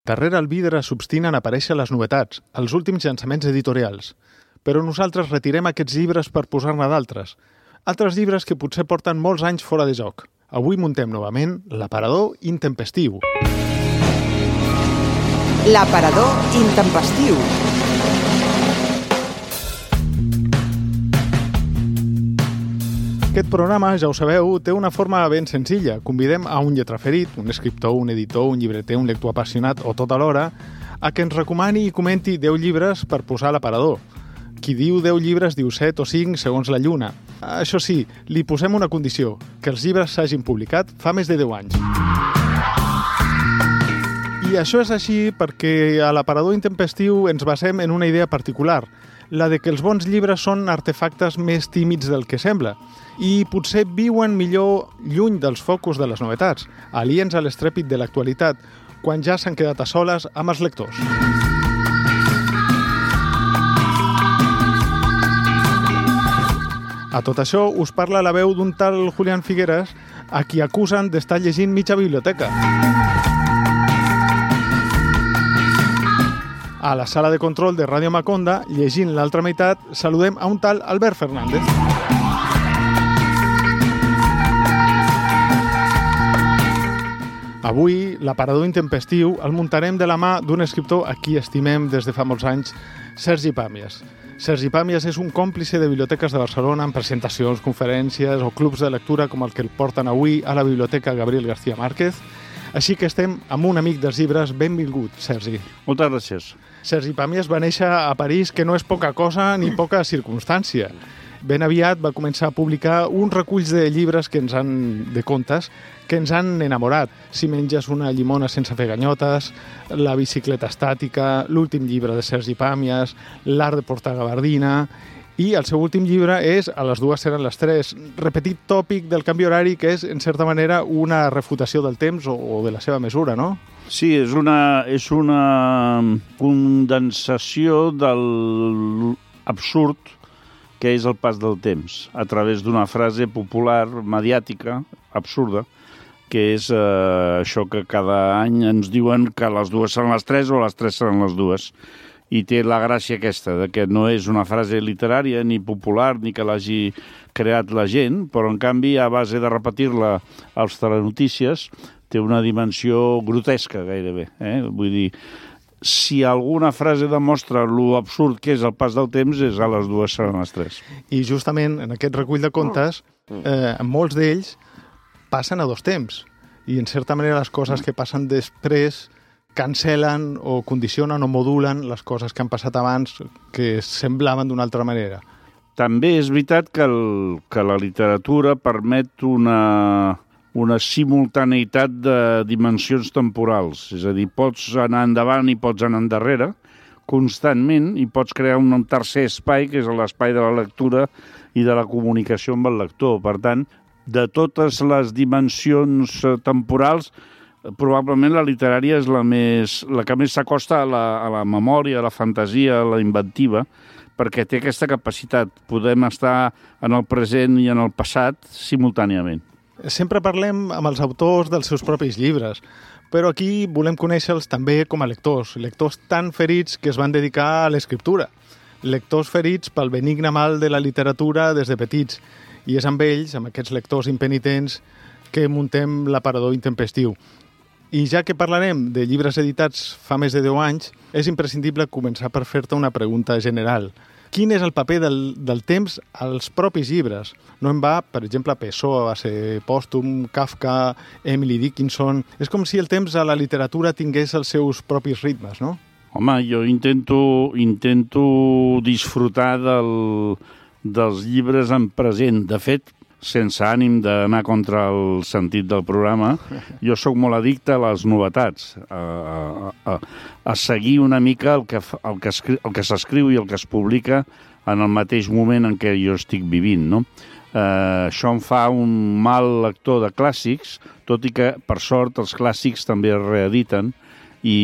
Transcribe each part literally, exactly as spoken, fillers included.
Darrere el vidre s'obstinen a aparèixer les novetats, els últims llançaments editorials. Però nosaltres retirem aquests llibres per posar-ne d'altres. Altres llibres que potser porten molts anys fora de joc. Avui muntem novament l'aparador intempestiu. L'aparador intempestiu. Aquest programa, ja ho sabeu, té una forma ben senzilla. Convidem a un lletraferit, un escriptor, un editor, un llibreter, un lector apassionat o tot alhora, a que ens recomani i comenti deu llibres per posar a l'aparador. Qui diu deu llibres diu set o cinc segons la lluna. Això sí, li posem una condició, que els llibres s'hagin publicat fa més de deu anys. I això és així perquè a l'aparador intempestiu ens basem en una idea particular, la de que els bons llibres són artefactes més tímids del que sembla i potser viuen millor lluny dels focus de les novetats, aliens a l'estrèpit de l'actualitat, quan ja s'han quedat a soles amb els lectors. A tot això us parla la veu d'un tal Julián Figueras, a qui acusen d'estar llegint mitja biblioteca. A la sala de control de Ràdio Maconda, llegint l'altra meitat, saludem a un tal Albert Fernández. Avui, l'aparador intempestiu el muntarem de la mà d'un escriptor a qui estimem des de fa molts anys, Sergi Pàmies. Sergi Pàmies és un còmplice de biblioteques de Barcelona en presentacions, conferències o clubs de lectura com el que el porten avui a la Biblioteca Gabriel García Márquez. Així que estem amb un amic dels llibres. Benvingut, Sergi. Moltes gràcies. Sergi Pàmies va néixer a París, que no és poca cosa ni poca circumstància. Ben aviat va començar a publicar un recull de llibres que ens han, de contes que ens han enamorat. Si menges una llimona sense fer ganyotes, La bicicleta estàtica, l'últim llibre de Sergi Pàmies, L'art de portar gabardina, i el seu últim llibre és A les dues seran les tres, repetit tòpic del canvi horari, que és, en certa manera, una refutació del temps o, o de la seva mesura, no? Sí, és una, és una condensació de l'absurd que és el pas del temps, a través d'una frase popular, mediàtica, absurda, que és eh, això que cada any ens diuen que les dues seran les tres o les tres seran les dues. I té la gràcia aquesta, de que no és una frase literària ni popular ni que l'hagi creat la gent, però en canvi, a base de repetir-la als telenotícies, té una dimensió grotesca gairebé. Eh? Vull dir, si alguna frase demostra lo absurd que és el pas del temps, és a les dues seran les tres. I justament en aquest recull de contes, eh, molts d'ells passen a dos temps. I en certa manera les coses que passen després cancel·len o condicionen o modulen les coses que han passat abans que semblaven d'una altra manera. També és veritat que, el, que la literatura permet una, una simultaneïtat de dimensions temporals. És a dir, pots anar endavant i pots anar endarrere constantment i pots crear un tercer espai, que és l'espai de la lectura i de la comunicació amb el lector. Per tant, de totes les dimensions temporals, probablement la literària és la, més, la que més s'acosta a, la, a la memòria, a la fantasia, a la inventiva, perquè té aquesta capacitat. Podem estar en el present i en el passat simultàniament. Sempre parlem amb els autors dels seus propis llibres, però aquí volem conèixer-los també com a lectors, lectors tan ferits que es van dedicar a l'escriptura, lectors ferits pel benigne mal de la literatura des de petits, i és amb ells, amb aquests lectors impenitents, que muntem l'aparador intempestiu. I ja que parlarem de llibres editats fa més de deu anys, és imprescindible començar per fer-te una pregunta general. Quin és el paper del, del temps als propis llibres? No en va, per exemple, Pessoa, va ser pòstum, Kafka, Emily Dickinson... És com si el temps a la literatura tingués els seus propis ritmes, no? Home, jo intento, intento disfrutar del, dels llibres en present. De fet, sense ànim d'anar contra el sentit del programa, jo sóc molt addicte a les novetats, a, a, a, a seguir una mica el que, el que, escri, el que s'escriu i el que es publica en el mateix moment en què jo estic vivint, no? Eh, això em fa un mal lector de clàssics, tot i que, per sort, els clàssics també es reediten i,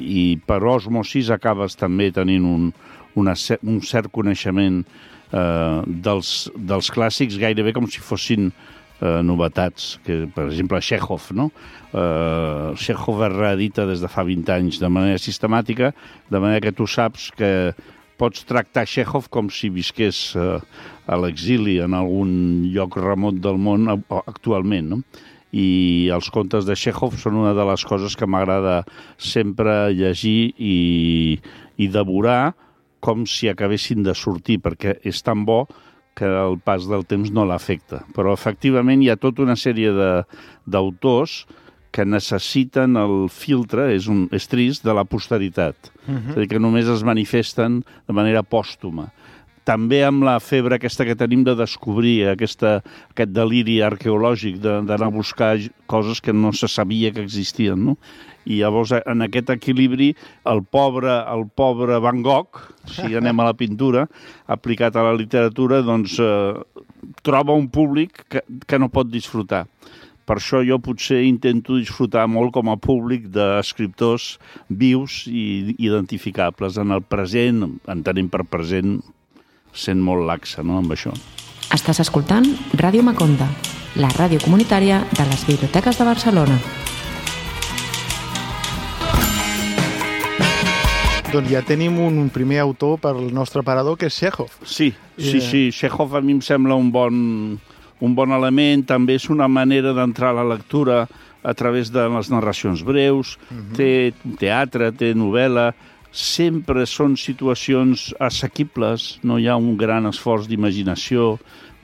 i per osmosis acabes també tenint un, una, un cert coneixement eh, dels, dels clàssics, gairebé com si fossin eh, novetats, que, per exemple, Chekhov, no? Eh, Chekhov es reedita des de fa vint anys de manera sistemàtica, de manera que tu saps que pots tractar Chekhov com si visqués eh, a l'exili en algun lloc remot del món actualment, no? I els contes de Chekhov són una de les coses que m'agrada sempre llegir i, i devorar com si acabessin de sortir, perquè és tan bo que el pas del temps no l'afecta. Però, efectivament, hi ha tota una sèrie d'autors que necessiten el filtre, és, un, és trist, de la posteritat. Uh-huh. És a dir, que només es manifesten de manera pòstuma. També amb la febre aquesta que tenim de descobrir aquesta, aquest deliri arqueològic d'anar a buscar coses que no se sabia que existien, no? I llavors, en aquest equilibri, el pobre, el pobre Van Gogh, si anem a la pintura, aplicat a la literatura, doncs eh, troba un públic que, que no pot disfrutar. Per això jo potser intento disfrutar molt com a públic d'escriptors vius i identificables. En el present, entenem per present, sent molt laxa, no?, amb això. Estàs escoltant Ràdio Maconda, la ràdio comunitària de les biblioteques de Barcelona. Doncs ja tenim un primer autor per al nostre parador, que és Chekhov. Sí, sí, sí. Chekhov a mi em sembla un bon, un bon element. També és una manera d'entrar a la lectura a través de les narracions breus. Uh-huh. Té teatre, té novel·la. Sempre són situacions assequibles, no hi ha un gran esforç d'imaginació,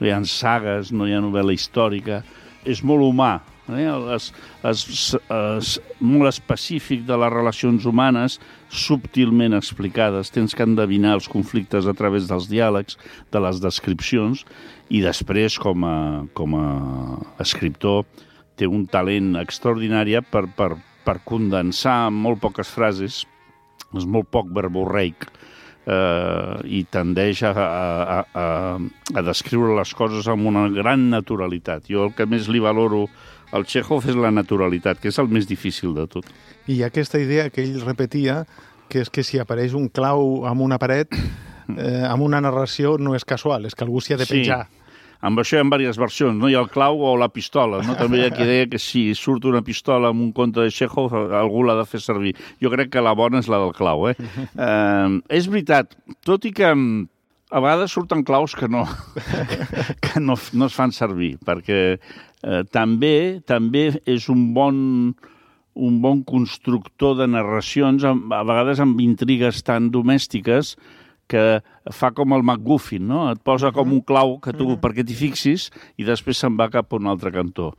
no hi ha sagues, no hi ha novel·la històrica. És molt humà, eh? es, es, es, molt específic de les relacions humanes, subtilment explicades. Tens que endevinar els conflictes a través dels diàlegs, de les descripcions, i després, com a, com a escriptor, té un talent extraordinari per, per, per condensar en molt poques frases. És molt poc verborreic eh, i tendeix a, a, a, a descriure les coses amb una gran naturalitat. Jo el que més li valoro al Chekhov és la naturalitat, que és el més difícil de tot. I hi ha aquesta idea que ell repetia, que és que si apareix un clau en una paret, eh, amb una narració no és casual, és que algú s'hi ha de penjar. Sí. Amb això hi ha diverses versions, no? Hi ha el clau o la pistola, no? També hi ha qui deia que si surt una pistola amb un conte de Chekhov, algú l'ha de fer servir. Jo crec que la bona és la del clau, eh? eh és veritat, tot i que a vegades surten claus que no, que no, no es fan servir, perquè eh, també també és un bon, un bon constructor de narracions, a vegades amb intrigues tan domèstiques, que fa com el MacGuffin, no? Et posa com un clau que tu, perquè t'hi fixis, i després se'n va cap a un altre cantó.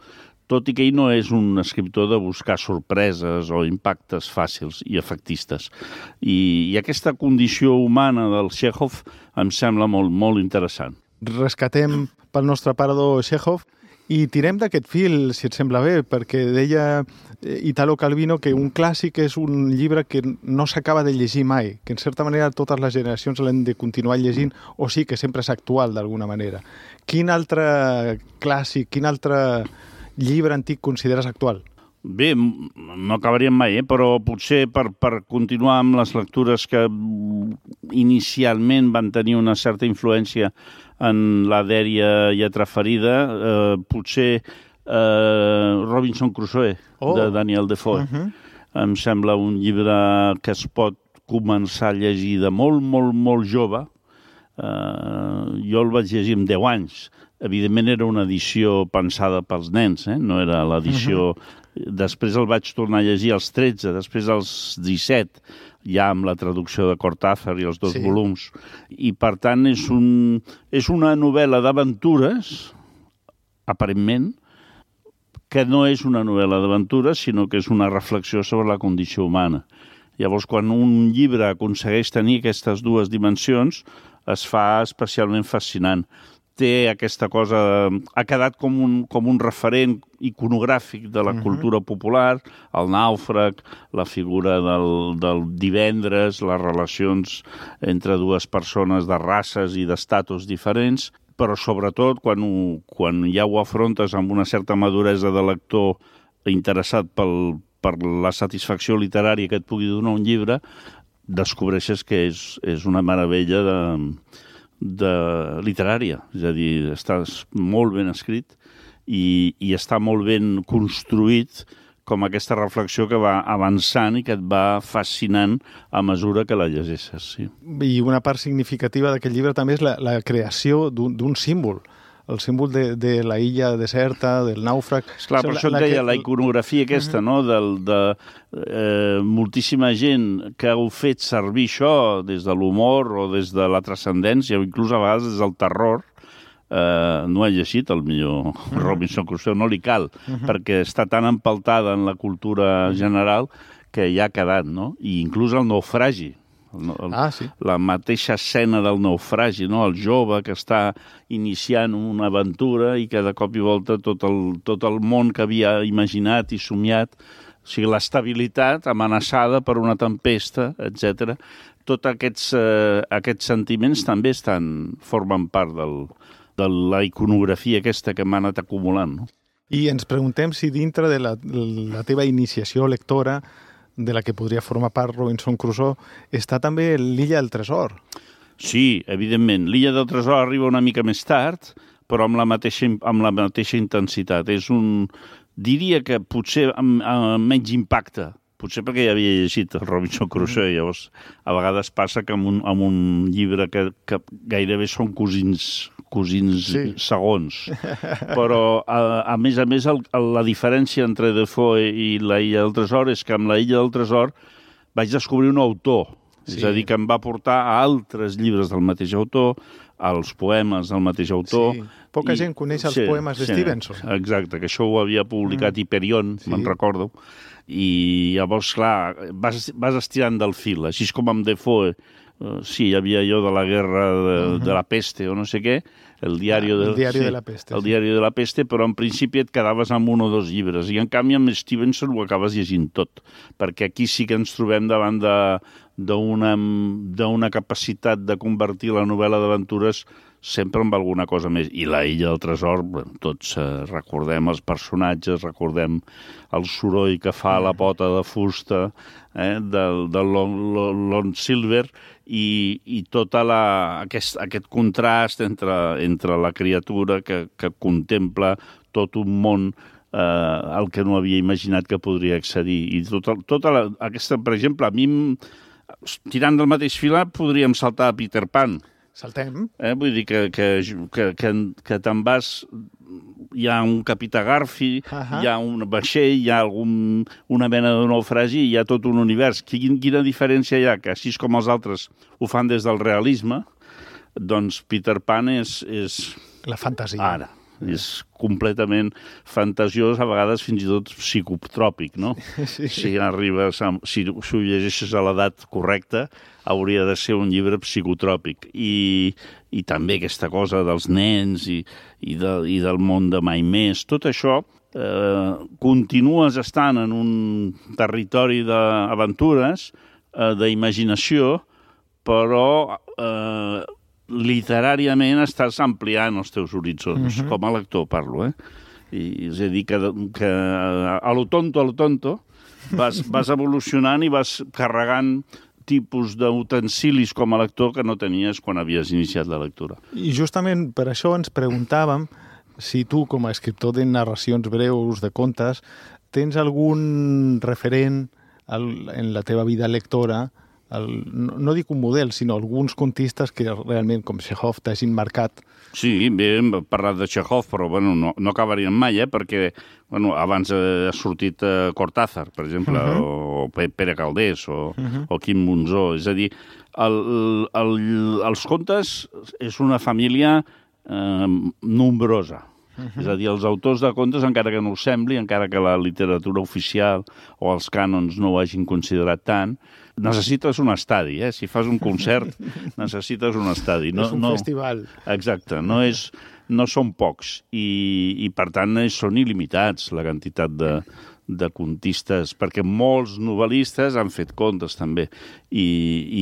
Tot i que ell no és un escriptor de buscar sorpreses o impactes fàcils i efectistes. I, i aquesta condició humana del Chekhov em sembla molt, molt interessant. Rescatem pel nostre parador Chekhov i tirem d'aquest fil, si et sembla bé, perquè deia Italo Calvino que un clàssic és un llibre que no s'acaba de llegir mai, que en certa manera totes les generacions l'hem de continuar llegint, o sí que sempre és actual d'alguna manera. Quin altre clàssic, quin altre llibre antic consideres actual? Bé, no acabaríem mai, eh? Però potser per, per continuar amb les lectures que inicialment van tenir una certa influència en la dèria lletra ferida, eh, potser eh, Robinson Crusoe, oh. de Daniel Defoe. Uh-huh. Em sembla un llibre que es pot començar a llegir de molt, molt, molt jove. Eh, jo el vaig llegir amb deu anys. Evidentment era una edició pensada pels nens, eh? No era l'edició... Uh-huh. Després el vaig tornar a llegir als tretze, després als disset, ja amb la traducció de Cortázar i els dos sí. volums. I, per tant, és, un, és una novel·la d'aventures, aparentment, que no és una novel·la d'aventures, sinó que és una reflexió sobre la condició humana. Llavors, quan un llibre aconsegueix tenir aquestes dues dimensions, es fa especialment fascinant. Té aquesta cosa... Ha quedat com un, com un referent iconogràfic de la uh-huh. cultura popular, el nàufrag, la figura del, del divendres, les relacions entre dues persones de races i d'estatus diferents, però sobretot quan, ho, quan ja ho afrontes amb una certa maduresa de lector interessat pel, per la satisfacció literària que et pugui donar un llibre, descobreixes que és, és una meravella de... de literària, és a dir, està molt ben escrit i, i està molt ben construït com aquesta reflexió que va avançant i que et va fascinant a mesura que la llegeixes. Sí. I una part significativa d'aquest llibre també és la, la creació d'un símbol, el símbol de, de la illa deserta, del nàufrag. Esclar, per això et deia, que... la iconografia aquesta, uh-huh. no?, del, de eh, moltíssima gent que heu fet servir això des de l'humor o des de la transcendència o inclús a vegades des del terror. Uh, no he llegit el millor uh-huh. Robinson Crusoe, no li cal, uh-huh. perquè està tan empaltada en la cultura general que ja ha quedat, no? I inclús el naufragi. El, el, ah, sí. La mateixa escena del naufragi, no? El jove que està iniciant una aventura i que de cop i volta tot el, tot el món que havia imaginat i somiat, o sigui, l'estabilitat amenaçada per una tempesta, etcètera. Tots aquests, eh, aquests sentiments també estan, formen part del, de la iconografia aquesta que m'ha anat acumulant. No? I ens preguntem si dintre de la, la teva iniciació lectora, de la que podria formar part Robinson Crusoe, està també l'Illa del Tresor. Sí, evidentment. L'Illa del Tresor arriba una mica més tard, però amb la mateixa, amb la mateixa intensitat. És un... Diria que potser amb, amb menys impacte, potser perquè ja havia llegit el Robinson Crusoe, mm. llavors a vegades passa que amb un, amb un llibre que, que gairebé són cosins, cosins sí. segons. Però, a, a més a més, el, la diferència entre Defoe i la Illa del Tresor és que amb la Illa del Tresor vaig descobrir un autor, sí. és a dir, que em va portar a altres llibres del mateix autor, als poemes del mateix autor. Sí. Poca i, gent coneix els sí, poemes de sí, Stevenson. Exacte, que això ho havia publicat mm. Hyperion, sí. me'n recordo. I llavors, clar, vas, vas estirant del fil, així com amb Defoe, uh, sí, hi havia allò de la guerra de, uh-huh. de la peste o no sé què, el diari, ah, de, el diari sí, de la peste. El sí. diari de la peste, però en principi et quedaves amb un o dos llibres, i en canvi amb Stevenson ho acabes llegint tot, perquè aquí sí que ens trobem davant de, d'una, d'una capacitat de convertir la novel·la d'aventures sempre amb alguna cosa més. I la Illa del Tresor, tots eh, recordem els personatges, recordem el soroll que fa la pota de fusta eh, del, del Lon, Lon Silver i, i tot aquest, aquest contrast entre, entre la criatura que, que contempla tot un món eh, al que no havia imaginat que podria accedir. I tota, tota la, aquesta, per exemple, a mi, tirant del mateix filar, podríem saltar a Peter Pan. Saltem. Eh? Vull dir que, que, que, que, que te'n vas... Hi ha un capità Garfi, uh-huh. hi ha un vaixell, hi ha algun, una mena de naufragi, hi ha tot un univers. Quin, quina diferència hi ha? Que així com els altres ho fan des del realisme, doncs Peter Pan és... és... La fantasia. Ara. És completament fantasiós, a vegades fins i tot psicotròpic, no? Sí. Si arribes, a, si, si ho llegeixes a l'edat correcta, hauria de ser un llibre psicotròpic. I, i també aquesta cosa dels nens i, i, de, i del món de mai més. Tot això eh, continues estant en un territori d'aventures, eh, d'imaginació, però... Eh, literàriament estàs ampliant els teus horitzons, uh-huh. com a lector parlo, eh? I, és a dir, que, que a lo tonto, a lo tonto, vas, vas evolucionant i vas carregant tipus d'utensilis com a lector que no tenies quan havies iniciat la lectura. I justament per això ens preguntàvem si tu, com a escriptor de narracions breus, de contes, tens algun referent al, en la teva vida lectora. El, no, no dic un model, sinó alguns contistes que realment, com Chekhov, t'hagin marcat. Sí, bé, hem parlat de Chekhov, però bueno, no, no acabaríem mai, eh? Perquè bueno, abans ha sortit uh, Cortázar, per exemple, uh-huh. o Pere Caldés, o, uh-huh. o Quim Monzó. És a dir, el, el, els contes és una família eh, nombrosa. Uh-huh. És a dir, els autors de contes, encara que no ho sembli, encara que la literatura oficial o els cànons no ho hagin considerat tant, necessites un estadi, eh? Si fas un concert, necessites un estadi. No, és un no, festival. Exacte, no, és, no són pocs i, i per tant, són il·limitats la quantitat de, de contistes, perquè molts novel·listes han fet contes també, i,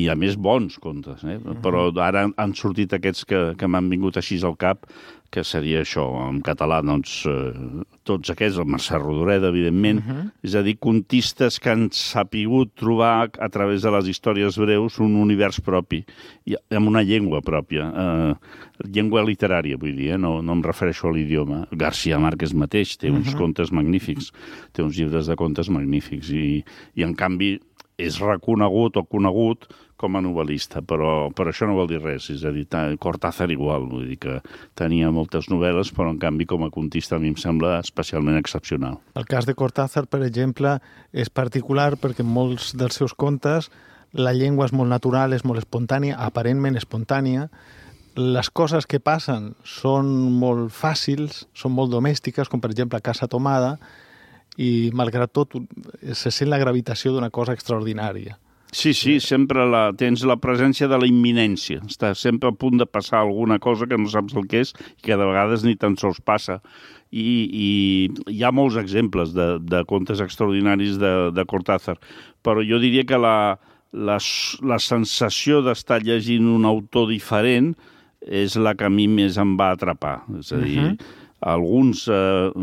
i a més bons contes, eh? Però ara han sortit aquests que, que m'han vingut així al cap, que seria això, en català, doncs, eh, tots aquests, el Mercè Rodoreda, evidentment, uh-huh. és a dir, contistes que han sapigut trobar a través de les històries breus un univers propi, i amb una llengua pròpia, eh, llengua literària, vull dir, eh? no, no em refereixo a l'idioma. García Márquez mateix té uns uh-huh. contes magnífics, té uns llibres de contes magnífics, i, i en canvi és reconegut o conegut com a novel·lista, però, però això no vol dir res, és a dir, Cortázar igual, vull dir que tenia moltes novel·les, però en canvi com a contista a mi em sembla especialment excepcional. El cas de Cortázar, per exemple, és particular perquè en molts dels seus contes la llengua és molt natural, és molt espontània, aparentment espontània, les coses que passen són molt fàcils, són molt domèstiques, com per exemple a Casa Tomada, i malgrat tot se sent la gravitació d'una cosa extraordinària. Sí, sí, sempre la, tens la presència de la imminència. Estàs sempre a punt de passar alguna cosa que no saps el que és i que de vegades ni tan sols passa. I, i hi ha molts exemples de, de contes extraordinaris de, de Cortázar, però jo diria que la, la, la sensació d'estar llegint un autor diferent és la que a mi més em va atrapar. És a dir, uh-huh. alguns eh,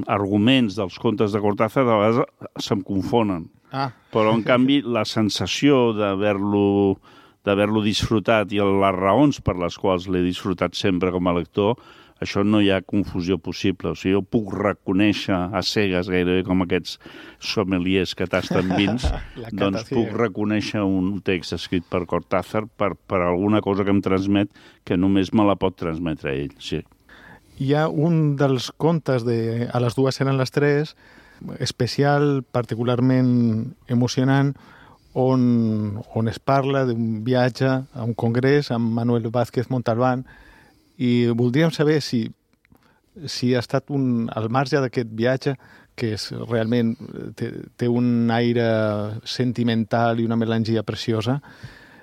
arguments dels contes de Cortázar de vegades se'm confonen. Ah. Però, en canvi, la sensació d'haver-lo d'haver-lo disfrutat i les raons per les quals l'he disfrutat sempre com a lector, això no hi ha confusió possible. O sigui, jo puc reconèixer a cegues, gairebé com aquests sommeliers que tasten vins, doncs puc reconèixer un text escrit per Cortázar per, per alguna cosa que em transmet que només me la pot transmetre ell, sí. Hi ha un dels contes de A les dues eren les tres, especial, particularment emocionant, on, on es parla d'un viatge a un congrés amb Manuel Vázquez Montalbán, i voldríem saber si, si ha estat un, al marge d'aquest viatge, que és realment té, té un aire sentimental i una melangia preciosa,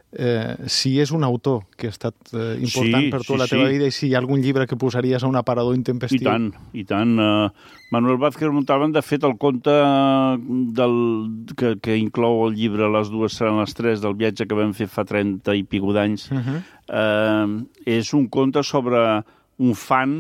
eh, si és un autor que ha estat eh, important sí, per tota sí, la teva sí. vida, i si hi ha algun llibre que posaries a un aparador intempestiu. I tant, i tant. Uh, Manuel Vázquez Montalbán, de fet, el conte del, que, que inclou el llibre Les dues seran les tres, del viatge que vam fer fa trenta i pico d'anys, uh-huh. uh, és un conte sobre un fan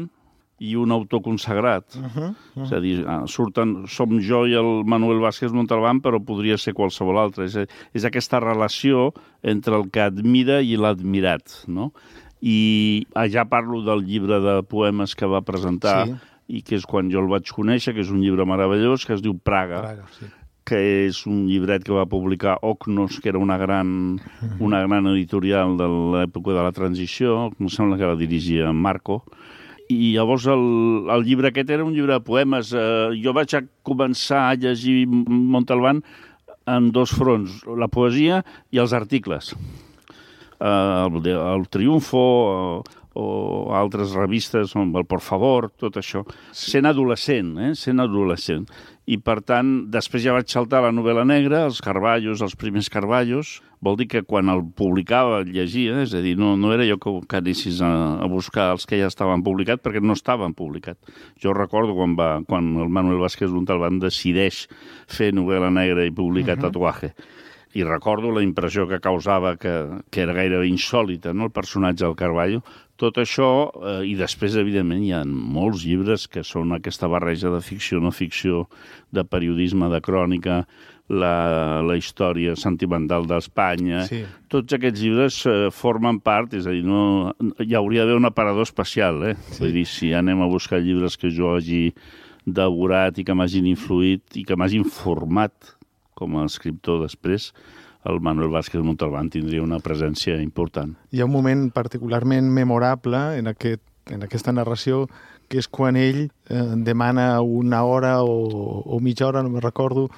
i un autor consagrat. Uh-huh, uh-huh. És a dir, surten, som jo i el Manuel Vázquez Montalbán, però podria ser qualsevol altre. És, és aquesta relació entre el que admira i l'admirat, no? I ja parlo del llibre de poemes que va presentar, sí. i que és quan jo el vaig conèixer, que és un llibre meravellós, que es diu Praga, Praga sí. que és un llibret que va publicar Oknos, que era una gran, una gran editorial de l'època de la transició, em sembla que la dirigia Marco. I llavors el, el llibre aquest era un llibre de poemes. Eh, jo vaig a començar a llegir Montalbán en dos fronts, la poesia i els articles. Eh, el, el Triunfo o, o altres revistes, el Por Favor, tot això. Sent adolescent, eh? Sent adolescent. I, per tant, després ja vaig saltar a la novel·la negra, els Carballos, els primers Carballos. Vol dir que quan el publicava el llegia, és a dir, no, no era jo que, que anessis a, a buscar els que ja estaven publicats, perquè no estaven publicats. Jo recordo quan, va, quan el Manuel Vázquez Montalbán decideix fer novel·la negra i publicar uh-huh. Tatuaje. I recordo la impressió que causava, que, que era gairebé insòlita, no?, el personatge del Carballo. Tot això, eh, i després, evidentment, hi ha molts llibres que són aquesta barreja de ficció, no ficció, de periodisme, de crònica, la, la història sentimental d'Espanya. Sí. Tots aquests llibres eh, formen part, és a dir, no, hi hauria d'haver un aparador especial, eh? Sí. Vull dir, si anem a buscar llibres que jo hagi devorat i que m'hagin influït i que m'hagin format com a escriptor després, el Manuel Vázquez Montalbán tindria una presència important. Hi ha un moment particularment memorable en, aquest, en aquesta narració, que és quan ell eh, demana una hora o, o mitja hora, no me'n recordo,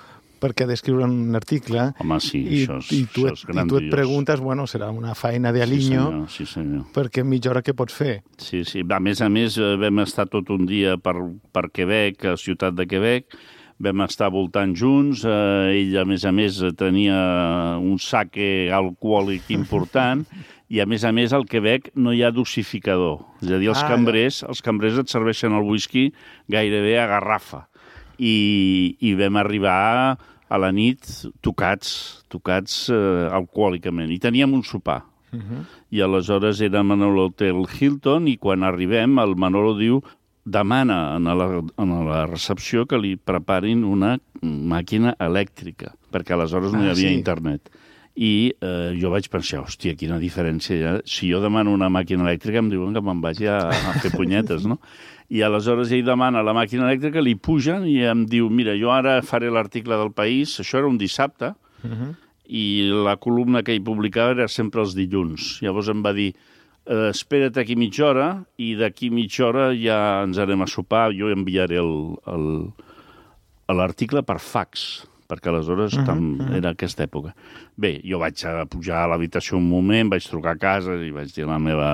perquè ha d'escriure un article. Home, sí, i, això, és, i tu, això és grandiós. I tu et preguntes, bueno, serà una feina de aliño, sí, senyor, sí, senyor. perquè en mitja hora què pots fer? Sí, sí. A més a més, vam estar tot un dia per, per Quebec, a Ciutat de Quebec, vam estar voltant junts, eh, ell, a més a més, tenia un saque alcohòlic important, i, a més a més, al Quebec no hi ha dosificador. És a dir, els, ah, cambrers, els cambrers et serveixen el whisky gairebé a garrafa. I, i vam arribar a la nit tocats, tocats eh, alcohòlicament. I teníem un sopar. Uh-huh. I aleshores érem en l'hotel Hilton i quan arribem el Manolo diu, demana a la, a la recepció que li preparin una màquina elèctrica, perquè aleshores no hi havia ah, sí. internet. I eh, jo vaig pensar, hòstia, quina diferència hi ha. Si jo demano una màquina elèctrica em diuen que me'n vagi a, a fer punyetes, no? I aleshores ell demana la màquina elèctrica, li pugen i em diu, mira, jo ara faré l'article del País, això era un dissabte, uh-huh. i la columna que ell publicava era sempre els dilluns. Llavors em va dir, eh, espera't aquí mitja hora i d'aquí mitja hora ja ens anem a sopar, jo enviaré l'article per fax, perquè aleshores uh-huh, tam, uh-huh. era aquesta època. Bé, jo vaig a pujar a l'habitació un moment, vaig trucar a casa i vaig dir a la meva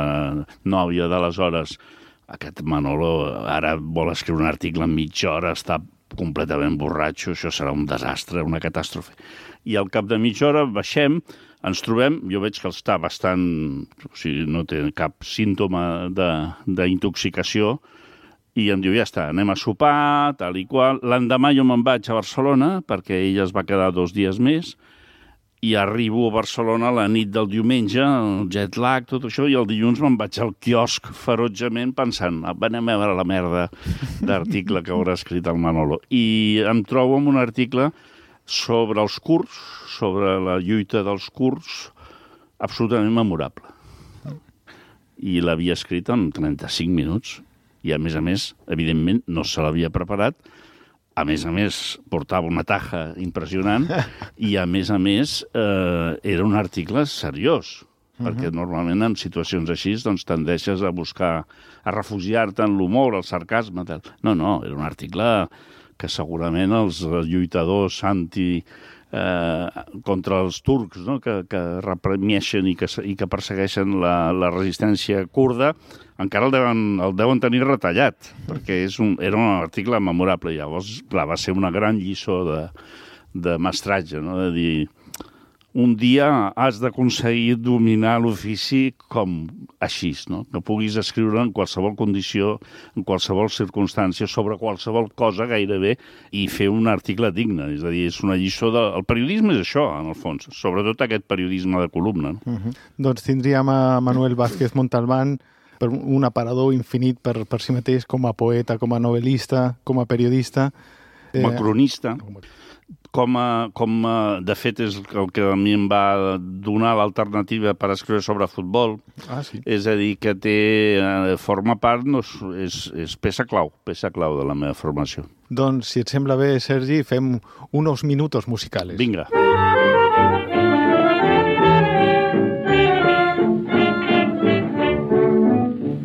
nòvia d'aleshores, aquest Manolo ara vol escriure un article en mitja hora, està completament borratxo, això serà un desastre, una catàstrofe. I al cap de mitja hora baixem, ens trobem, jo veig que està bastant, o sigui, no té cap símptoma d'intoxicació, i em diu, ja està, anem a sopar, tal i qual. L'endemà jo me'n vaig a Barcelona, perquè ella es va quedar dos dies més, i arribo a Barcelona la nit del diumenge, el jet lag, tot això, i el dilluns me'n vaig al quiosc ferotgement pensant, anem a veure la merda d'article que haurà escrit el Manolo. I em trobo amb un article sobre els kurds, sobre la lluita dels kurds, absolutament memorable. I l'havia escrit en trenta-cinc minuts. I, a més a més, evidentment, no se l'havia preparat. A més a més, portava una taja impressionant i, a més a més, eh, era un article seriós, uh-huh. perquè normalment en situacions així doncs, tendeixes a buscar, a refugiar-te en l'humor, el sarcasme, tal. No, no, era un article que segurament els lluitadors anti... Eh, contra els turcs, no? que, que reprimeixen i que, i que persegueixen la, la resistència kurda, encara el deuen, el deuen tenir retallat, perquè és un, era un article memorable. Llavors, clar, va ser una gran lliçó de, de mestratge, no? De dir, un dia has d'aconseguir dominar l'ofici com així, no? Que puguis escriure en qualsevol condició, en qualsevol circumstància, sobre qualsevol cosa gairebé, i fer un article digne. És a dir, és una lliçó de... El periodisme és això, en el fons, sobretot aquest periodisme de columna. No? Uh-huh. Doncs tindríem a Manuel Vázquez Montalbán, per un aparador infinit per, per si mateix, com a poeta, com a novel·lista, com a periodista. Com a cronista. Eh... Com a, com a, de fet, és el que a mi em va donar l'alternativa per escriure sobre futbol. Ah, sí. És a dir, que té, forma part, no, és, és peça clau, peça clau de la meva formació. Doncs, si et sembla bé, Sergi, fem unos minutos musicales. Vinga.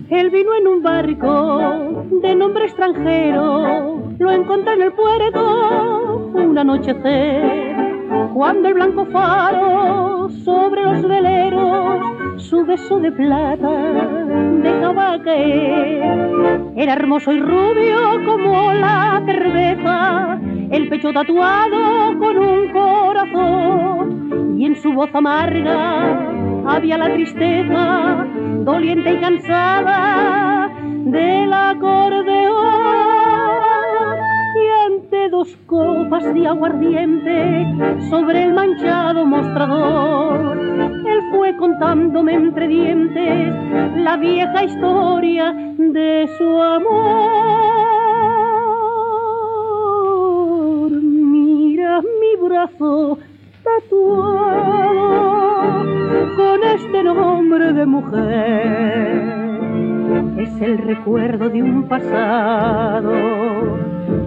Él vino en un barco de nombre extranjero, lo encontré en el puerto un anochecer, cuando el blanco faro sobre los veleros su beso de plata dejaba caer. Era hermoso y rubio como la cerveza, el pecho tatuado con un corazón, y en su voz amarga había la tristeza, doliente y cansada del acordeón. Y ante dos copas de aguardiente sobre el manchado mostrador, él fue contándome entre dientes la vieja historia de su amor. Mira mi brazo tatuado con este nombre de mujer, es el recuerdo de un pasado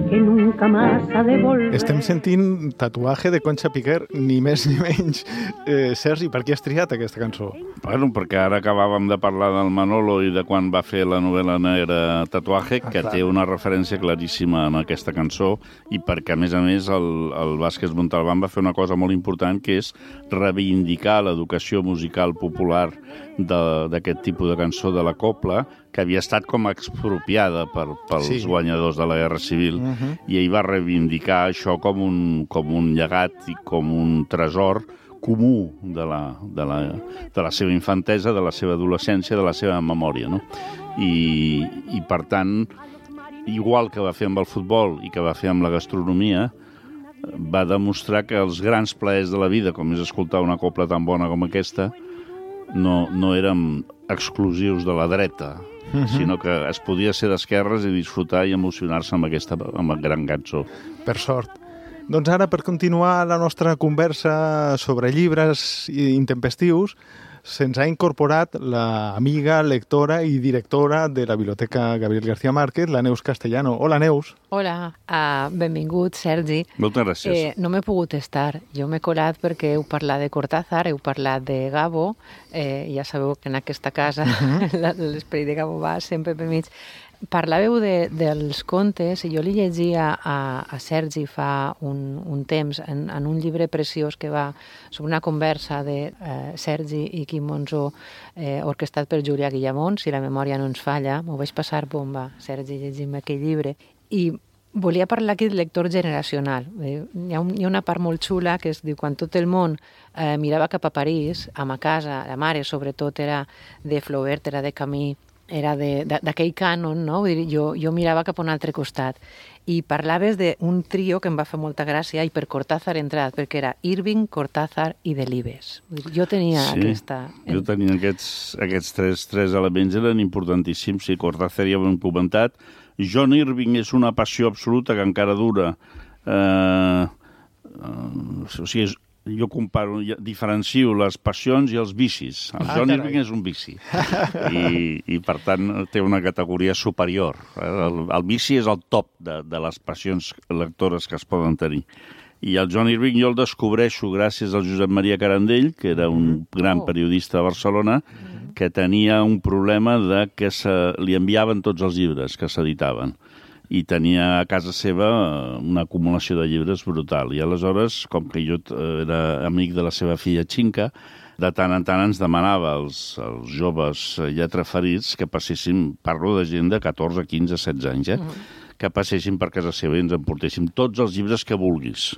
que nunca más ha de volver. Estem sentint tatuatge de Concha Piquer, ni més ni menys. Eh, Sergi, per què has triat aquesta cançó? Bueno, perquè ara acabàvem de parlar del Manolo i de quan va fer la novel·la negra Tatuaje, ah, que clar. Té una referència claríssima en aquesta cançó, i perquè, a més a més, el, el Vázquez Montalbán va fer una cosa molt important, que és reivindicar l'educació musical popular d'aquest tipus de cançó de la copla, que havia estat com expropiada per, pels sí. guanyadors de la Guerra Civil, uh-huh. i ell va reivindicar això com un, com un llegat i com un tresor comú de la, de, la, de la seva infantesa, de la seva adolescència, de la seva memòria, no? I, i per tant, igual que va fer amb el futbol i que va fer amb la gastronomia, va demostrar que els grans plaers de la vida, com és escoltar una copla tan bona com aquesta, no, no érem exclusius de la dreta, uh-huh. sinó que es podia ser d'esquerres i disfrutar i emocionar-se amb aquesta amb la gran cançó. Per sort. Doncs ara, per continuar la nostra conversa sobre llibres intempestius, se'ns ha incorporat l'amiga, lectora i directora de la Biblioteca Gabriel García Márquez, la Neus Castellano. Hola, Neus. Hola, uh, benvingut, Sergi. Moltes gràcies. Eh, no m'he pogut estar. Jo m'he colat perquè heu parlat de Cortázar, heu parlat de Gabo, eh, ja sabeu que en aquesta casa uh-huh. l'esperit de Gabo va sempre per mig. Parlàveu de, dels contes i jo li llegia a, a Sergi fa un, un temps en, en un llibre preciós que va sobre una conversa de eh, Sergi i Quim Monzó eh, orquestat per Julià Guillamón, si la memòria no ens falla. M'ho vaig passar bomba, Sergi, llegint aquell llibre. I volia parlar aquí de lector generacional. Eh, hi, ha un, hi ha una part molt xula que es diu quan tot el món eh, mirava cap a París, a ma casa, la mare sobretot era de Flaubert, era de Camus, era d'aquell cànon, no? Vull dir, jo, jo mirava cap a un altre costat. I parlaves d'un trio que em va fer molta gràcia i per Cortázar entrat, perquè era Irving, Cortázar i Delibes. Jo tenia sí, aquesta... Jo tenia aquests, aquests tres, tres elements, eren importantíssims. Sí, Cortázar ja ho hem comentat. John Irving és una passió absoluta que encara dura. Eh, eh, o sigui, és, jo comparo, diferencio les passions i els vicis. El ah, John carai. Irving és un vici i, i per tant té una categoria superior. El, el vici és el top de, de les passions lectores que es poden tenir. I el John Irving jo el descobreixo gràcies al Josep Maria Carandell, que era un gran periodista de Barcelona, que tenia un problema de que se, li enviaven tots els llibres que s'editaven. I tenia a casa seva una acumulació de llibres brutal. I aleshores, com que jo era amic de la seva filla Xinca, de tant en tant ens demanava als, als joves lletraferits que passessin, parlo de gent de catorze, quinze, setze anys, eh? Uh-huh. que passessin per casa seva i ens emportéssim tots els llibres que vulguis.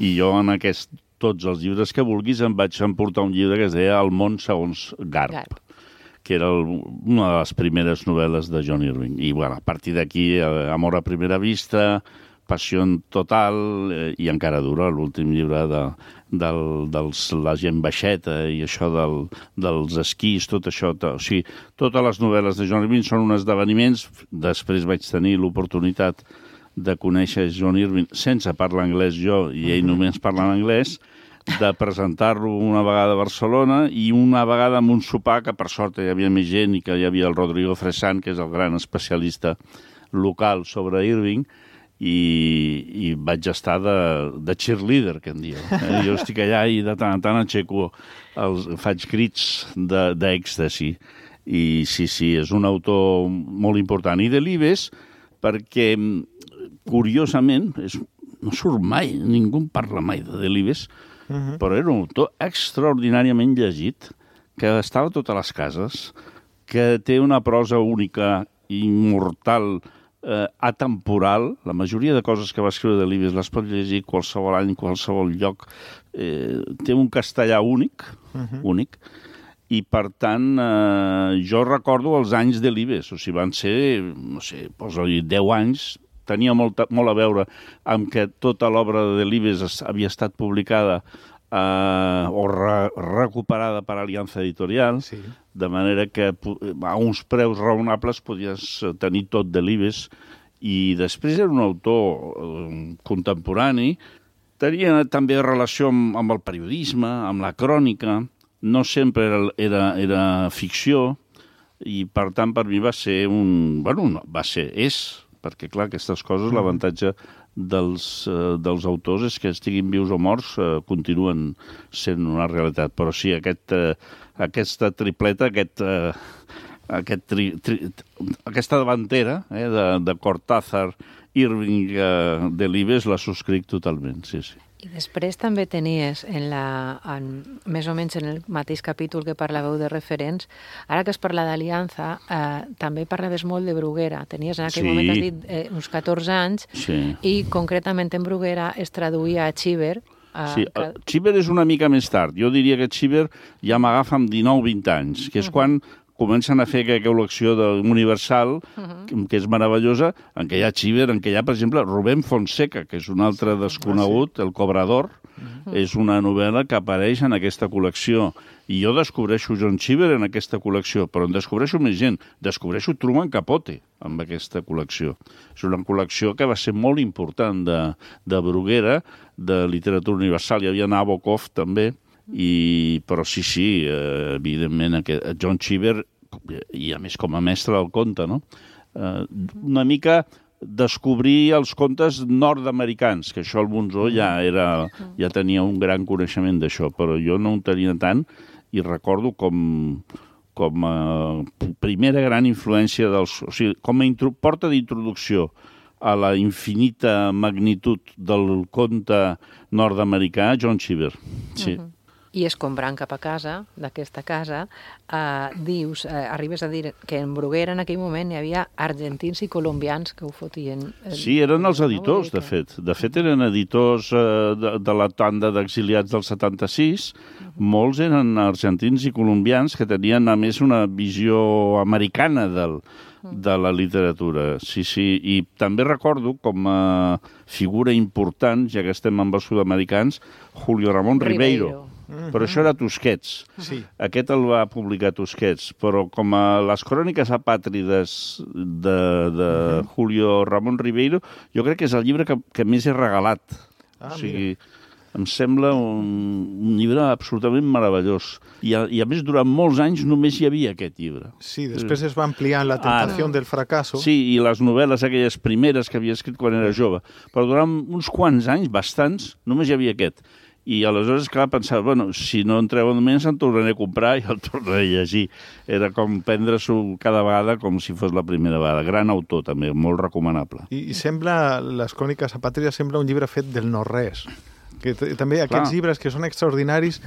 I jo en aquest tots els llibres que vulguis em vaig emportar un llibre que es deia El món segons Garp. Garp. que era el, una de les primeres novel·les de John Irving. I, bueno, a partir d'aquí, eh, Amor a primera vista, Passió total, eh, i encara dura l'últim llibre de, del, dels la gent baixeta i això del, dels esquís, tot això. To, o sigui, totes les novel·les de John Irving són uns esdeveniments. Després vaig tenir l'oportunitat de conèixer John Irving sense parlar anglès jo, i ell només parla en anglès, de presentar-lo una vegada a Barcelona i una vegada amb un sopar que per sort hi havia més gent i que hi havia el Rodrigo Fresán, que és el gran especialista local sobre Irving, i, i vaig estar de, de cheerleader, que en diu. Eh? Jo estic allà i de tant en tant aixeco, els, faig crits d'èxtasi. I sí, sí, és un autor molt important. I Delibes, perquè, curiosament, és, no surt mai, ningú parla mai de Delibes, Uh-huh. però era un autor extraordinàriament llegit, que estava a totes les cases, que té una prosa única, immortal, eh, atemporal. La majoria de coses que va escriure Delibes les pot llegir qualsevol any, qualsevol lloc. Eh, té un castellà únic, uh-huh. únic, i per tant eh, jo recordo els anys Delibes, o sigui, van ser, no sé, posa-li deu anys. Tenia molt, molt a veure amb que tota l'obra de Delibes havia estat publicada eh, o re, recuperada per Aliança Editorial, sí. de manera que a uns preus raonables podies tenir tot Delibes. I després era un autor eh, contemporani, tenia també relació amb, amb el periodisme, amb la crònica, no sempre era, era, era ficció, i per tant per mi va ser un... Bueno, no, va ser, és... perquè, clar, aquestes coses, l'avantatge dels, eh, dels autors és que estiguin vius o morts, eh, continuen sent una realitat. Però sí, aquest, eh, aquesta tripleta, aquest, eh, aquest tri, tri, aquesta davantera eh, de, de Cortázar, Irving, eh, Delibes, la subscric totalment, sí, sí. I després també tenies, en la, en, més o menys en el mateix capítol que parlàveu de referents, ara que es parla d'Aliança, eh, també parlaves molt de Bruguera. Tenies en aquell sí. moment, has dit, eh, uns catorze anys, sí. i concretament en Bruguera es traduïa a Chiver. Eh, sí, que... Chiver és una mica més tard. Jo diria que Chiver ja m'agafa amb dinou vint anys, que és uh-huh. quan comencen a fer aquella col·lecció de Universal, uh-huh. que és meravellosa, en què hi ha Chiver, en què hi ha, per exemple, Rubén Fonseca, que és un altre desconegut, ah, sí. El Cobrador, uh-huh. és una novel·la que apareix en aquesta col·lecció. I jo descobreixo John Cheever en aquesta col·lecció, però en descobreixo més gent. Descobreixo Truman Capote amb aquesta col·lecció. És una col·lecció que va ser molt important de, de Bruguera, de literatura universal. Hi havia Nabokov, també, i, però sí, sí, eh, evidentment, aquest, John Cheever, i a més com a mestre del conte, no? Eh, una mica descobrir els contes nord-americans, que això el Monzó ja, era, ja tenia un gran coneixement d'això, però jo no en tenia tant, i recordo com, com a primera gran influència dels... O sigui, com a intro, porta d'introducció a la infinita magnitud del conte nord-americà, John Cheever. Sí. Uh-huh. I escombrant cap a casa, d'aquesta casa, eh, dius, eh, arribes a dir que en Bruguera en aquell moment hi havia argentins i colombians que ho fotien. Eh, sí, eren els editors, de fet. De fet, eren editors eh, de, de la tanda d'exiliats del setanta-sis. Uh-huh. Molts eren argentins i colombians que tenien, a més, una visió americana del, de la literatura. Sí, sí. I també recordo com a figura important, ja que estem amb els sud-americans, Julio Ramón Ribeiro. Ribeiro. Mm-hmm. Però això era Tusquets. Sí. Aquest el va publicar Tusquets, però com a les cròniques apàtrides de, de mm-hmm. Julio Ramón Ribeiro, jo crec que és el llibre que, que més he regalat. Ah, o sigui, mira. Em sembla un, un llibre absolutament meravellós. I a, I a més, durant molts anys només hi havia aquest llibre. Sí, després es va ampliar La tentació ah, del fracasso. Sí, i les novel·les, aquelles primeres que havia escrit quan era jove. Però durant uns quants anys, bastants, només hi havia aquest. I aleshores, clar, pensava, bueno, si no en treuen més, en tornaré a comprar i el tornaré a llegir. Era com prendre-s'ho cada vegada com si fos la primera vegada. Gran autor, també, molt recomanable. I, i sembla, les cròniques apàtrides, sembla un llibre fet del no-res. Que també aquests clar. Llibres que són extraordinaris,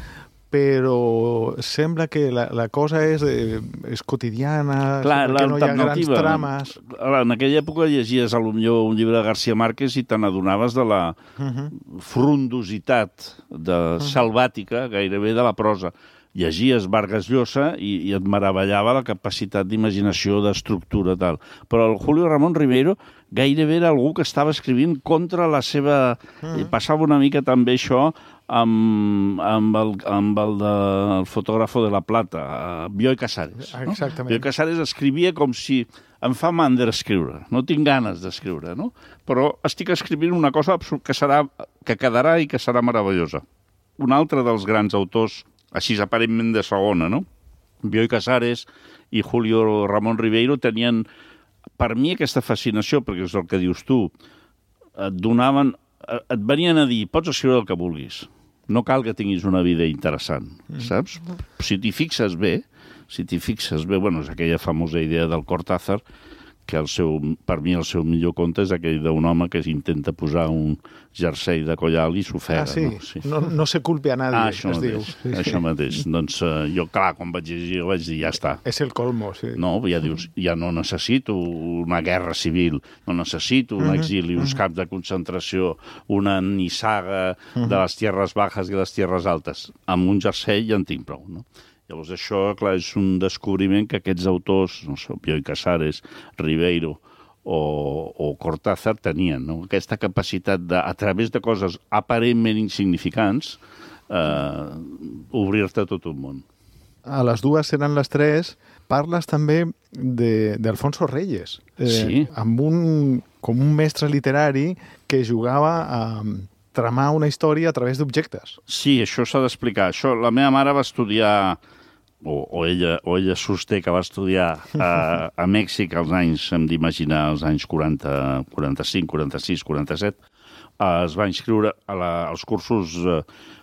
però sembla que la, la cosa és, eh, és quotidiana, clar, que no hi ha grans trames. En aquella època llegies potser un llibre de García Márquez i te n'adonaves de la uh-huh. frondositat de uh-huh. salvàtica, gairebé de la prosa. Llegies Vargas Llosa i, i et meravellava la capacitat d'imaginació, d'estructura, tal. Però el Julio Ramón Ribeiro gairebé era algú que estava escrivint contra la seva... Uh-huh. I passava una mica també això amb, amb, el, amb el, de, el fotògrafo de La Plata, Bioy Casares. No? Exactament. Bioy Casares escrivia com si em fa mandra escriure, no tinc ganes d'escriure, no? Però estic escrivint una cosa que, serà, que quedarà i que serà meravellosa. Un altre dels grans autors, així aparentment de segona, no? Bioy Casares i Julio Ramón Ribeiro tenien, per mi, aquesta fascinació, perquè és el que dius tu, et donaven, et venien a dir, pots escriure el que vulguis, no cal que tinguis una vida interessant, saps? Si t'hi fixes bé, si t'hi fixes bé, bueno, és aquella famosa idea del Cortázar, que el seu, per mi el seu millor conte és aquell d'un home que intenta posar un jersei de collal i s'ofega. Ah, sí? No, sí. No, no se culpi a nadie, ah, això es mateix, diu. Sí, això sí. mateix. Doncs uh, jo, clar, quan vaig llegir, jo vaig dir, ja està. És el colmo, sí. No, ja dius, ja no necessito una guerra civil, no necessito un exili, uns camps de concentració, una nissaga de les tierres bajas i les tierres altes. Amb un jersei ja en tinc prou, no? Llavors això, clar, és un descobriment que aquests autors, no sé, Bioy Casares, Ribeiro o, o Cortázar tenien, no? Aquesta capacitat de, a través de coses aparentment insignificants, eh, obrir-te tot un món. A les dues seran les tres. Parles també d'Alfonso Reyes, eh, sí. amb un, com un mestre literari que jugava a tramar una història a través d'objectes. Sí, això s'ha d'explicar. Això, la meva mare va estudiar, o, o, ella, o ella sosté que va estudiar a, a Mèxic als anys, hem d'imaginar, als anys quaranta, quaranta-cinc, quaranta-sis, quaranta-set. Eh, es va inscriure a la, als cursos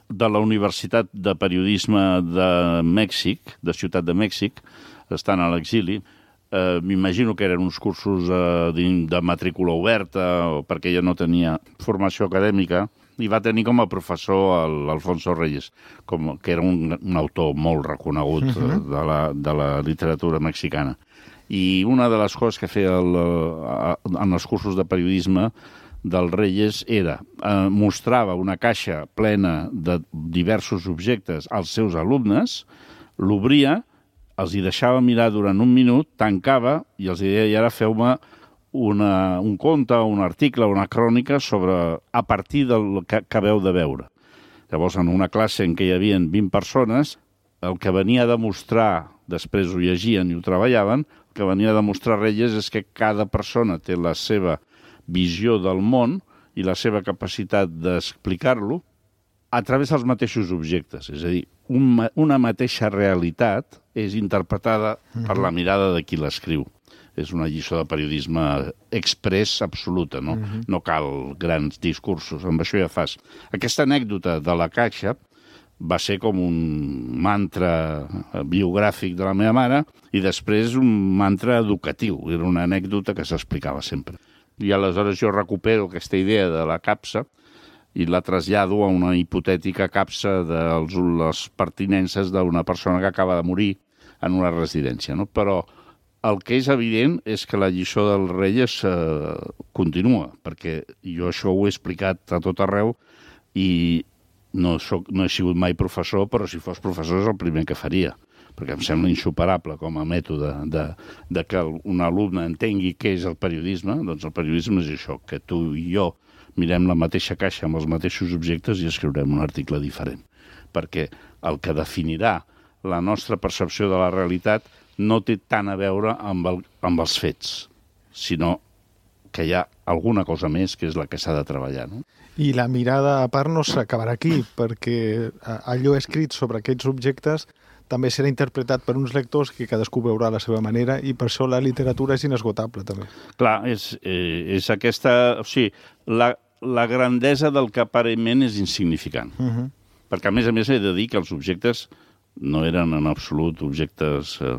de la Universitat de Periodisme de Mèxic, de Ciutat de Mèxic, estant a l'exili. Eh, m'imagino que eren uns cursos eh, de matrícula oberta, o perquè ella no tenia formació acadèmica, i va tenir com a professor l'Alfonso Reyes, com, que era un, un autor molt reconegut uh-huh. de, la, de la literatura mexicana. I una de les coses que feia el, en els cursos de periodisme del Reyes era, eh, mostrava una caixa plena de diversos objectes als seus alumnes, l'obria, els hi deixava mirar durant un minut, tancava i els deia, i ara feu-me una, un conte, un article, una crònica sobre, a partir del que acabeu de veure. Llavors, en una classe en què hi havia vint persones, el que venia a demostrar, després ho llegien i ho treballaven, el que venia a demostrar Reyes és que cada persona té la seva visió del món i la seva capacitat d'explicar-lo a través dels mateixos objectes. És a dir, un, una mateixa realitat és interpretada per la mirada de qui l'escriu. És una lliçó de periodisme express absoluta, no? Uh-huh. No cal grans discursos, amb això ja fas. Aquesta anècdota de la caixa va ser com un mantra biogràfic de la meva mare i després un mantra educatiu. Era una anècdota que s'explicava sempre. I aleshores jo recupero aquesta idea de la capsa i la trasllado a una hipotètica capsa de les pertinences d'una persona que acaba de morir en una residència, no? Però el que és evident és que la lliçó del Reyes eh, continua, perquè jo això ho he explicat a tot arreu i no, soc, no he sigut mai professor, però si fos professor és el primer que faria, perquè em sembla insuperable com a mètode de, de que un alumne entengui què és el periodisme. Doncs el periodisme és això, que tu i jo mirem la mateixa caixa amb els mateixos objectes i escriurem un article diferent, perquè el que definirà la nostra percepció de la realitat no té tant a veure amb, el, amb els fets, sinó que hi ha alguna cosa més que és la que s'ha de treballar, no? I la mirada a part no s'acabarà aquí, perquè allò escrit sobre aquests objectes també serà interpretat per uns lectors que cadascú veurà a la seva manera i per això la literatura és inesgotable, també. Clar, és, eh, és aquesta... O sigui, la, la grandesa del que aparentment és insignificant. Uh-huh. Perquè, a més a més, he de dir que els objectes no eren en absolut objectes... Eh,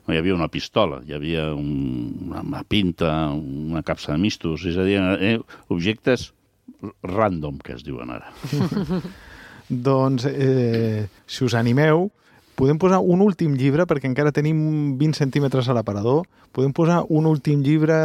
no hi havia una pistola, hi havia un, una pinta, una capsa de mistos, és a dir, eh, objectes random, que es diuen ara. Doncs, eh, si us animeu, podem posar un últim llibre, perquè encara tenim vint centímetres a l'aparador, podem posar un últim llibre,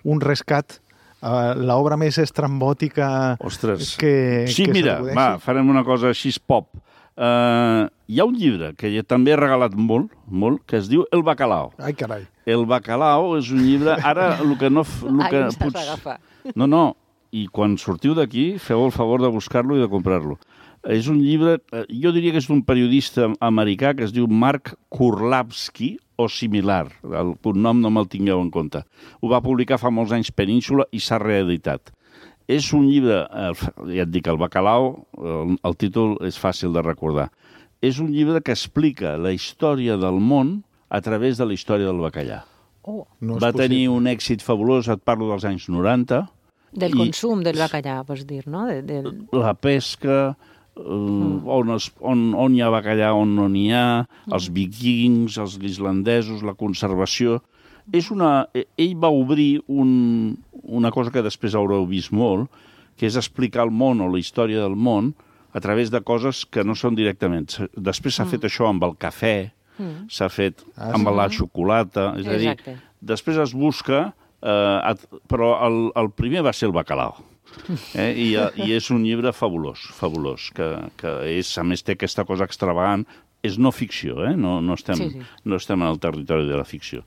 un rescat, uh, l'obra més estrambòtica Ostres. que, sí, que mira, va, farem una cosa així pop. Uh, hi ha un llibre que també he regalat molt, molt, que es diu El Bacalao. Ai, carai. El Bacalao és un llibre... Ara, el que no... El que Ai, ens pots... has d'agafar. No, no, i quan sortiu d'aquí, feu el favor de buscar-lo i de comprar-lo. És un llibre, jo diria que és d'un periodista americà que es diu Mark Kurlawski o similar. El cognom no me'l tingueu en compte. Ho va publicar fa molts anys Península i s'ha reeditat. És un llibre, ja et dic, El Bacalao, el, el títol és fàcil de recordar. És un llibre que explica la història del món a través de la història del bacallà. Oh. No va possible. tenir un èxit fabulós, et parlo dels anys noranta. Del I consum del bacallà, vols dir, no? De, del... La pesca, uh, mm. on, es, on, on hi ha bacallà, on no n'hi ha, mm. els vikings, els islandesos, la conservació... És una... Ell va obrir un, una cosa que després haureu vist molt, que és explicar el món o la història del món a través de coses que no són directament. Després s'ha mm. fet això amb el cafè, mm. s'ha fet ah, amb sí. la xocolata, és Exacte. a dir, després es busca, eh, però el, el primer va ser el bacalao. Eh? I, I és un llibre fabulós, fabulós, que, que és, a més té aquesta cosa extravagant. És no ficció, eh? no, no, estem, sí, sí. no estem en el territori de la ficció.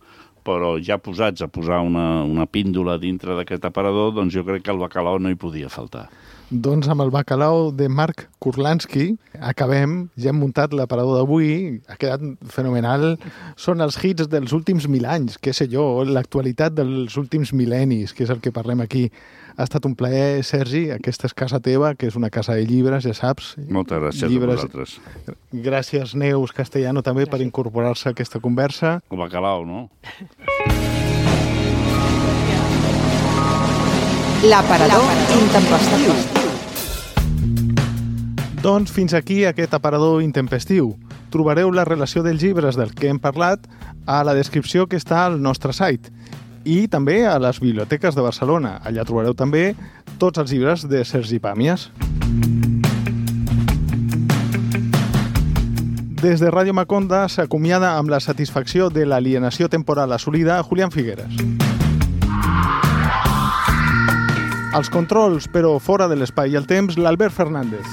Però ja posats a posar una, una píndola dintre d'aquest aparador, doncs jo crec que el bacalao no hi podia faltar. Doncs amb el bacalao de Mark Kurlawski acabem, ja hem muntat l'aparador d'avui, ha quedat fenomenal. Són els hits dels últims mil anys, què sé jo, l'actualitat dels últims mil·lennis, que és el que parlem aquí. Ha estat un plaer, Sergi, aquesta és casa teva, que és una casa de llibres, ja saps. Moltes gràcies llibres. a vosaltres. Gràcies, Neus Castellano, també, gràcies. Per incorporar-se a aquesta conversa. El bacalao, no? L'aparador intempestiu. Doncs fins aquí aquest aparador intempestiu. Trobareu la relació dels llibres del que hem parlat a la descripció que està al nostre site i també a les biblioteques de Barcelona. Allà trobareu també tots els llibres de Sergi Pàmies. Des de Ràdio Maconda s'acomiada amb la satisfacció de l'alienació temporal assolida Julián Figueres. Els controls, però fora de l'espai i el temps, l'Albert Fernández.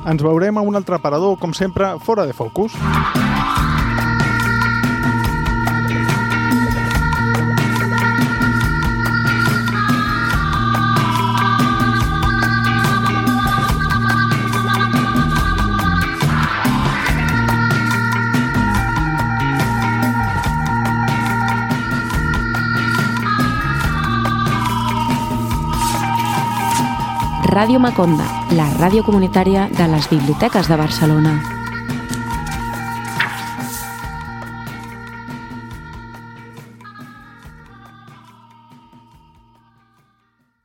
Ens veurem a un altre aparador, com sempre, fora de focus. Ràdio Maconda, la ràdio comunitària de les biblioteques de Barcelona.